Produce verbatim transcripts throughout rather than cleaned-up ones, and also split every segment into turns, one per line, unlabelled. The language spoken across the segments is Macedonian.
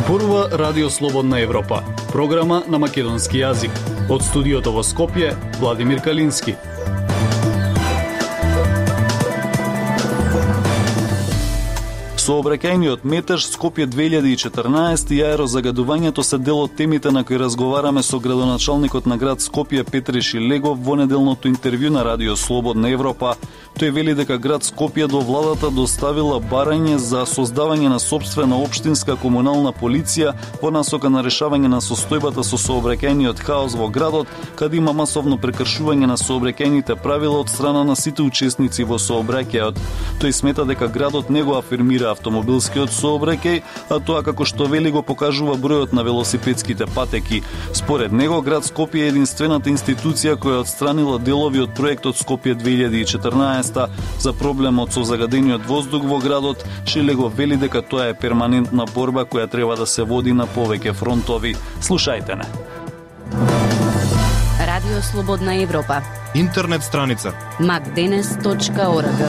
Зборува Радио Слободна Европа, програма на македонски јазик. Од студиото во Скопје, Владимир Калински.
Сообраќајниот метеж Скопје две илјади и четрнаесет и аерозагадувањето се дел од темите на кои разговараме со градоначалникот на град Скопје Петре Шилегов во неделното интервју на Радио Слободна Европа. Тој вели дека град Скопје до владата доставила барање за создавање на сопствена општинска комунална полиција во насока на решавање на состојбата со сообраќајниот хаос во градот, каде има масовно прекршување на сообраќајните правила од страна на сите учесници во сообраќајот. Тој смета дека градот не го афирмира автомобилскиот сообраќај, а тоа како што вели го покажува бројот на велосипедските патеки. Според него, град Скопје е единствената институција која отстранила делови од проектот Скопје две илјади и четрнаесет за проблемот со загадениот воздух во градот. Шилегов вели дека тоа е перманентна борба која треба да се води на повеќе фронтови. Слушајте не.
Радио Слободна Европа.
Интернет страница
макденес точка орг.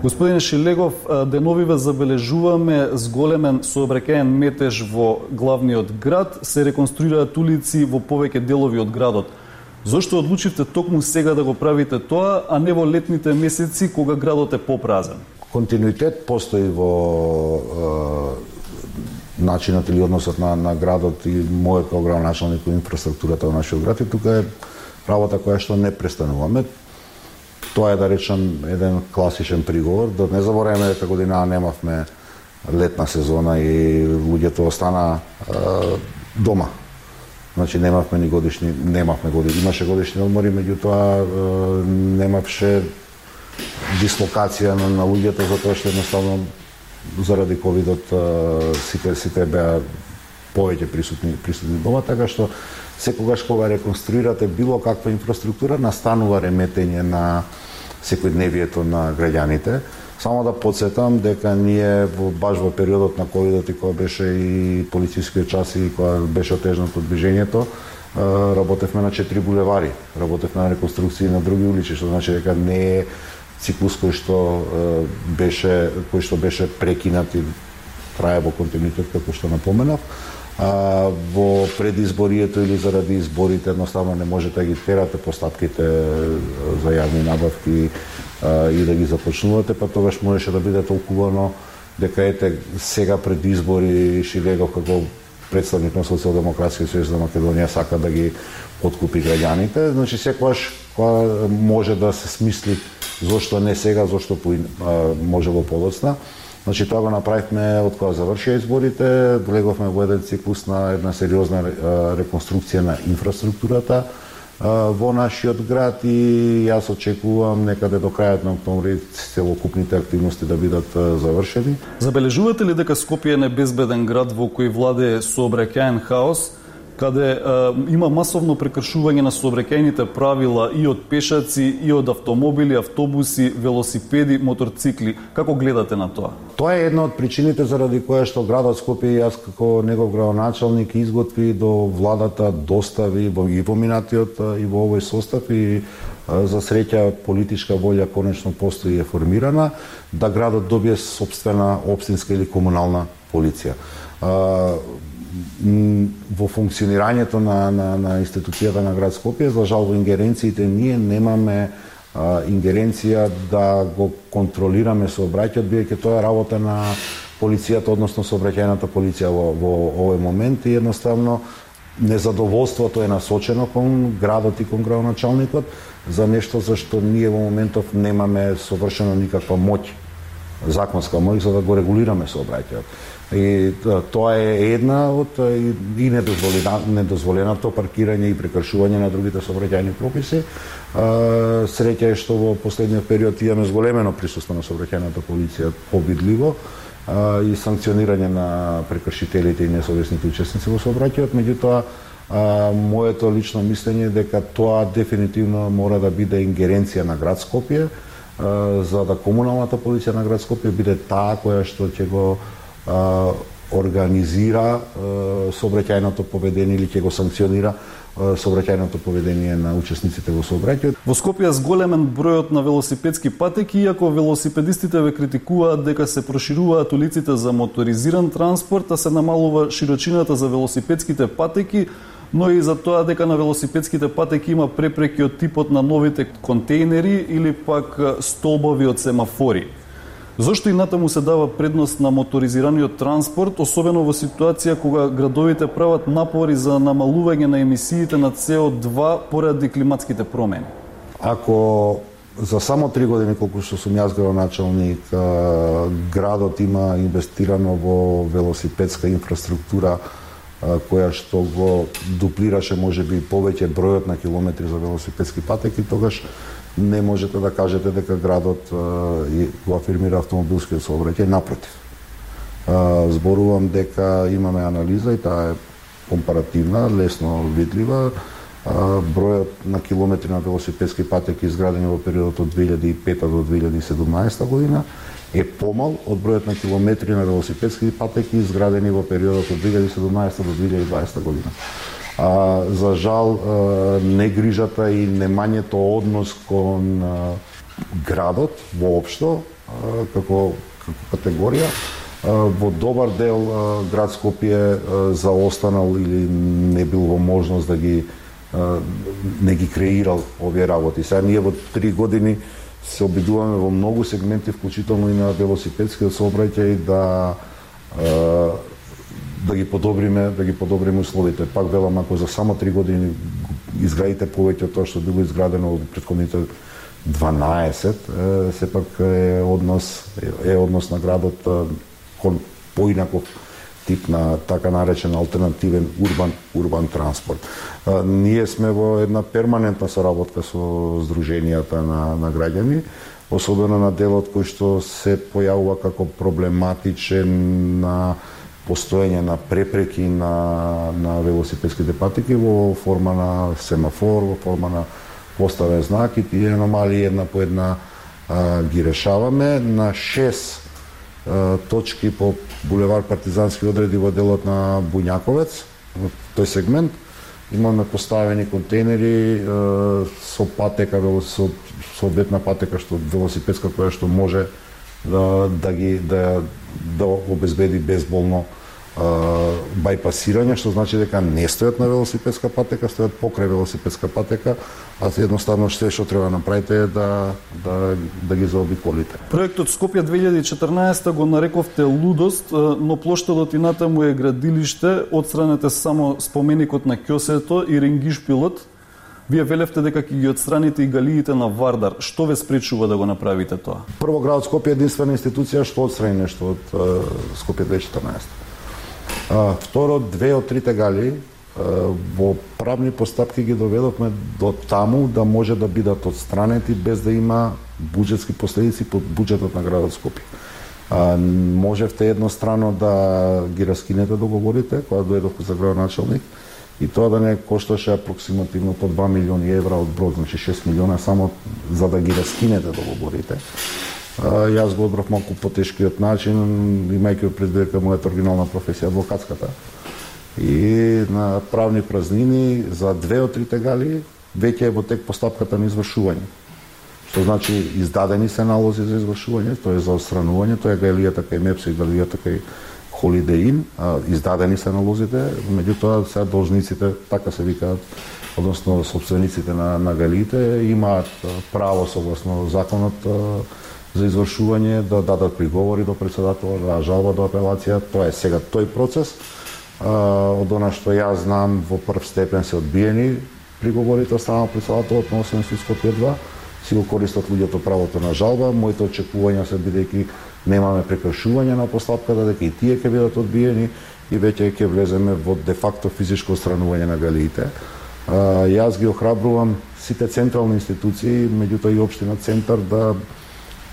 Господине Шилегов, деновиве забележуваме зголемен сообраќаен метеж во главниот град, се реконструираат улици во повеќе делови од градот. Зошто одлучивте токму сега да го правите тоа, а не во летните месеци кога градот е попразен?
Континуитет постои во е, начинот или односот на, на градот и мојот како градоначалник во инфраструктурата во нашиот град, и тука е работа која што не престануваме. Тоа е, да речам, еден класичен приговор. Да не забораваме дека година немавме летна сезона и луѓето остана е, дома. Значи немавме ни годишни, немавме годишни, имаше годишни одмори, меѓутоа немавше дислокација на, на луѓето, затоа што едноставно заради ковидот сите сите беа повеќе присутни присутни дома, така што секогаш кога реконструирате било каква инфраструктура, настанува реметење на секојдневието на граѓаните. Само да подсетам дека ние во, баш во периодот на ковидот и кога беше и полицискиот час и кога беше отежнато движењето, работевме на четири булевари, работевме на реконструкции на други улици, што значи дека не е циклус кој што беше кој што беше прекинат и трае во континуитет, како што напоменав. А, во предизборието или заради изборите едноставно не можете да ги терате постапките за јавни набавки а, и да ги започнувате, па тогаш можеше да биде толкувано дека ете сега пред избори Шилегов како представник на Социјалдемократскиот сојуз на Македонија сака да ги откупи граѓаните. Значи секогаш кога може да се смисли зошто не сега, зошто по, а, можело подоцна. Значи тоа го направивме од кога завршија изборите, влеговме во еден циклус на една сериозна реконструкција на инфраструктурата во нашиот град и јас очекувам некаде до крајот на октомври целокупните активности да бидат завршени.
Забележувате ли дека Скопје е небезбеден град во кој владее сообраќаен хаос, каде е, има масовно прекршување на сообраќајните правила и од пешаци, и од автомобили, автобуси, велосипеди, моторцикли? Како гледате на тоа?
Тоа е една од причините заради која што градот Скопје и јас како негов градоначалник изготви до владата, достави и во минатиот и во овој состав и за среќа политичка волја конечно постои и е формирана да градот добие сопствена општинска или комунална полиција. Во функционирањето на, на, на институцијата на град Скопје, за жал во ингеренциите ние немаме а, ингеренција да го контролираме сообраќајот, бидејќи тоа е работа на полицијата, односно сообраќајната полиција во, во овој момент и едноставно незадоволството е насочено кон градот и кон градоначалникот за нешто за што ние во моментов немаме совршено никаква моќ, законска моќ за да го регулираме сообраќајот. И тоа е една од и недозволеното паркирање и прекршување на другите сообраќајни прописи. Среќа е што во последниот период имаме зголемено присуство на сообраќајната полиција повидливо и санкционирање на прекршителите и несовесните учесници во сообраќајот, меѓутоа моето лично мислење е дека тоа дефинитивно мора да биде ингеренција на град Скопје, за да комуналната полиција на град Скопје биде таа која што ќе го организира сообраќајното поведение или ќе го санкционира сообраќајното поведение на учесниците во сообраќајот.
Во Скопје зголемен бројот на велосипедски патеки, иако велосипедистите ве критикуваат дека се прошируваат улиците за моторизиран транспорт, а се намалува широчината за велосипедските патеки, но и за тоа дека на велосипедските патеки има препреки од типот на новите контейнери или пак столбови од семафори. Зошто и натаму се дава предност на моторизираниот транспорт, особено во ситуација кога градовите прават напори за намалување на емисиите на С О два поради климатските промени?
Ако за само три години, колку што сум јас градоначалник, градот има инвестирано во велосипедска инфраструктура која што го дуплираше можеби повеќе бројот на километри за велосипедски патеки, тогаш не можете да кажете дека градот го афирмира автомобилскиот сообраќај, напротив. Зборувам дека имаме анализа и таа е компаративна, лесно видлива. Бројот на километри на велосипедски патеки изградени во периодот од две илјади и пета до две илјади и седумнаесета година е помал од бројот на километри на велосипедски патеки изградени во периодот од две илјади и седумнаесета до две илјади и дваесета година. А, за жал, а, негрижата и немањето однос кон а, градот воопшто, а, како, како категорија, а, во добар дел а, град Скопје а, заостанал или не бил во можност да ги а, не ги креирал овие работи. Сега ние во три години се обидуваме во многу сегменти, вклучително и на велосипедскиот сообраќај, да а, да ги подобриме, да ги подобриме условите. Пак велам, ако за само три години изградите повеќе од тоа што било изградено во претходните дванаесет, е, сепак е однос е однос на градот кон поинаков тип на така наречен алтернативен урбан урбан транспорт. А, ние сме во една перманентна соработка со здруженијата на на граѓани, особено на делот кој што се појавува како проблематичен на постоење на препреки на, на велосипедските патеки во форма на семафор, во форма на поставен знак, и тие аномалии една по една а, ги решаваме. На шест а, точки по булевар Партизански одреди во делот на Буњаковец, во тој сегмент, имаме поставени контейнери а, со патека, со соодветна патека што велосипедска која што може да да ги да да обезбеди безболно а, бајпасирање, што значи дека не стојат на велосипедска патека, стојат покрај велосипедска патека, а едноставно што што треба да направите е да да да ги заобиколите.
Проектот Скопје две илјади и четрнаесета го нарековте лудост, но плоштадот и натаму е градилиште, отстранете само споменикот на Ќосето и Ренгишпилот. Вие велевте дека ќе ги отстраните и галиите на Вардар. Што ве спречува да го направите тоа?
Прво, градот Скопје е единствена институција што отстрани нешто од Скопје две илјади и четрнаесета. А, второ, две од трите галии во правни постапки ги доведовме до таму да може да бидат отстранети без да има буџетски последици по буџетот на градот Скопје. А, можевте еднострано да ги раскинете договорите кога дојдовте за градоначалник, и тоа да не кошташе апроксимативно по два милиони евра од брод, значи шест милиона само за да ги раскинете договорите. А, јас го одбрав малку потешкиот начин, имајќи предвид дека мојата оригинална професија адвокатската. И на правни празнини за две од трите галии веќе е во тек постапката на извршување. Што значи издадени се налози за извршување, тоа е за отстранување, тоа е галијата кај Мепсо и галијата кај Holiday Inn, издадени се налозите, меѓутоа сега должниците, така се викаат, односно собствениците на, на галиите, имаат право согласно законот за извршување да дадат приговори до председателот, да жалба до апелација. Тоа е сега тој процес. Од она што јас знам, во прв степен се одбиени приговорите од страна председателот на основен суд Скопје два, си го користат луѓето правото на жалба. Моите очекувања се бидејќи немаме прекршување на постапката, дека и тие ќе бидат одбиени и веќе ќе влеземе во де факто физичко отстранување на галиите. А, јас ги охрабрувам сите централни институции, меѓутоа и општина Центар, да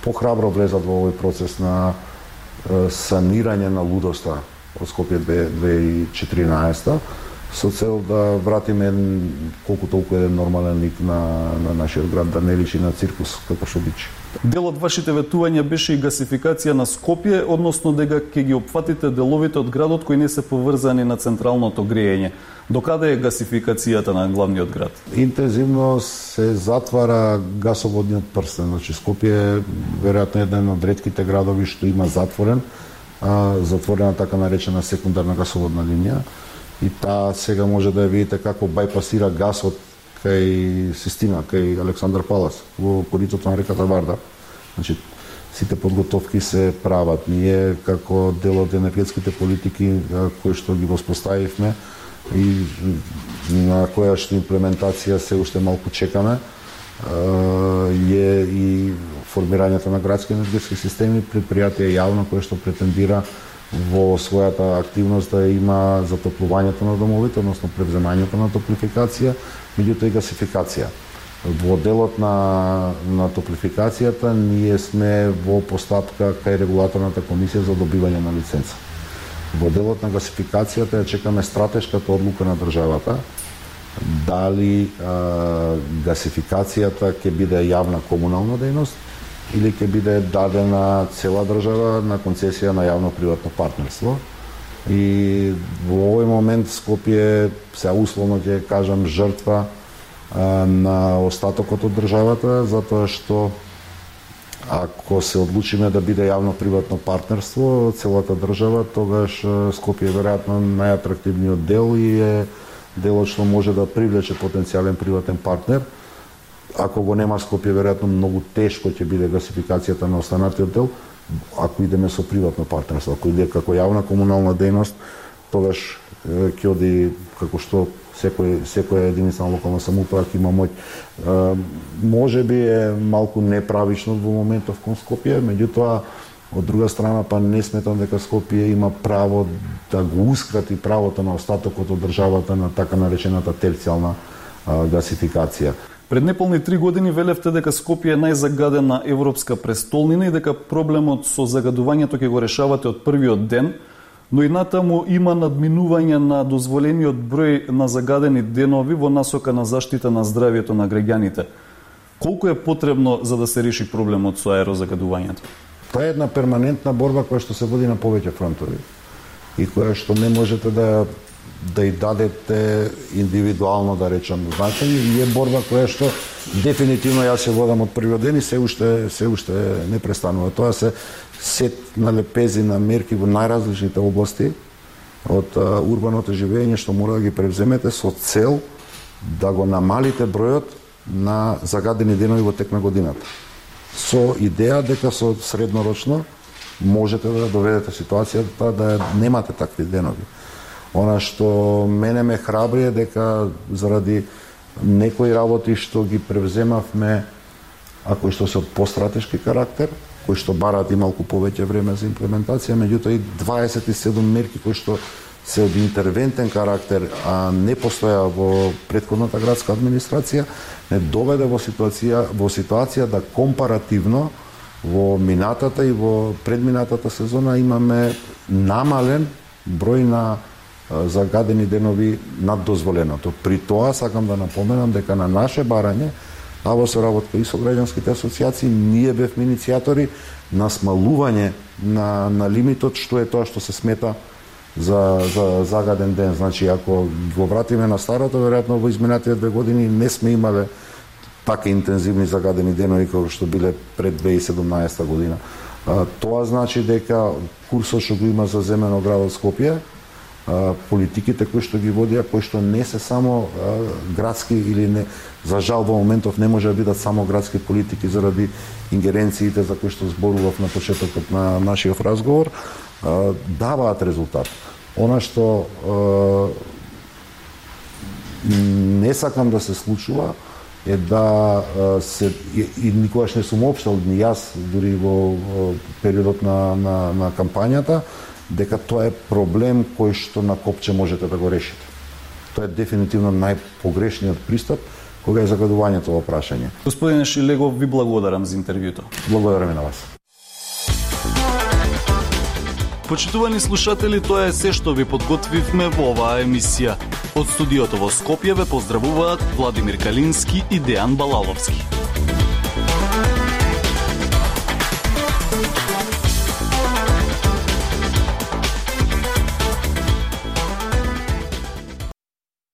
похрабро влезат во овој процес на е, санирање на лудоста од Скопје две илјади и четиринаесета. со цел да вратиме колку толку еден нормален лик на, на нашиот град, да не личи на циркус како што бичи.
Дел од вашите ветувања беше и гасификација на Скопје, односно дека ќе ги опфатите деловите од градот кои не се поврзани на централното грејење. Докаде е гасификацијата на главниот град?
Интензивно се затвара гасоводниот прстен. Значи Скопје е веројатно еден од ретките градови што има затворен, а, затворена така наречена секундарна гасоводна линија. И таа сега може да ја видите како бајпасира гасот кај Систина, кај Александар Палас, во коритото на реката Варда. Значи, сите подготовки се прават. Ние, како дел од енергетските политики кои што ги воспоставивме и на која што имплементација се уште малку чекаме, е и формирањето на градски енергетски системи, предпријатие јавно кое што претендира во својата активност да има затоплувањето на домовите, односно превземањето на топлификација, меѓутоа и гасификација. Во делот на, на топлификацијата ние сме во постапка кај регулаторната комисија за добивање на лиценца. Во делот на гасификацијата ја чекаме стратешката одлука на државата, дали а, гасификацијата ќе биде јавна комунална дејност или ќе биде дадена цела држава на концесија на јавно-приватно партнерство. И во овој момент Скопје, се условно ќе кажам, жртва а, на остатокот од државата, затоа што ако се одлучиме да биде јавно-приватно партнерство целата држава, тогаш Скопје е веројатно најатрактивниот дел и е делот што може да привлече потенцијален приватен партнер. Ако го нема Скопје, веројатно многу тешко ќе биде гасификацијата на останатиот дел, ако идеме со приватно партнерство. Ако иде како јавна комунална дејност, тогаш ќе оди како што секој секоја единица на локална самоуправа ќе има моќ. Може би е малку неправично во моментов кон Скопје, меѓутоа од друга страна па не сметам дека Скопје има право да го ускрати правото на остатокот од државата на така наречената терцијална гасификација.
Пред неполни три години велевте дека Скопје е најзагадена европска престолнина и дека проблемот со загадувањето ќе го решавате од првиот ден, но и натаму има надминување на дозволениот број на загадени денови во насока на заштита на здравјето на граѓаните. Колку е потребно за да се реши проблемот со аерозагадувањето?
Тоа е една перманентна борба која што се води на повеќе фронтови и која што не можете да да и дадете индивидуално, да речам, значење, и е борба која што дефинитивно јас се водам од првиот ден и се уште се уште не престанува. Тоа се сет на лепези на мерки во најразличните области од а, урбаното живење што мора да ги превземете со цел да го намалите бројот на загадени денови во тек на годината. Со идеја дека со среднорочно можете да доведете ситуацијата да немате такви денови. Она што мене ме храбри е дека заради некои работи што ги превземавме, а кои што се од постратешки карактер, кои што бараат и малку повеќе време за имплементација, меѓутоа и дваесет и седум мерки кои што се од интервентен карактер, а не постоја во претходната градска администрација, не доведе во ситуација во ситуација да компаративно во минатата и во предминатата сезона имаме намален број на загадени денови над дозволеното. При тоа сакам да напоменам дека на наше барање, а во соработка и со граѓанските асоциации, ние бевме иницијатори на смалување на, на лимитот што е тоа што се смета за, за загаден ден. Значи, ако го вратиме на старото, веројатно во изминатите две години не сме имале така интензивни загадени денови како што биле пред две илјади и седумнаесета година. А, тоа значи дека курсот што го има за земено градот Скопје, политиките кои што ги водија, кои што не се само а, градски или не, за жал во моментов не може да бидат само градски политики заради ингеренциите за кои што зборував на почетокот на нашиот разговор, а, даваат резултат. Она што а, не сакам да се случува е да а, се и, и никогаш не сум општал ни јас дури во, во периодот на, на, на кампањата, дека тоа е проблем кој што на копче можете да го решите. Тоа е дефинитивно најпогрешниот пристап кога е загадувањето во прашање.
Господине Шилегов, ви благодарам за интервјуто.
Благодарам и на вас.
Почитувани слушатели, тоа е се што ви подготвивме во оваа емисија. Од студиото во Скопје ве поздравуваат Владимир Калински и Дејан Балаловски.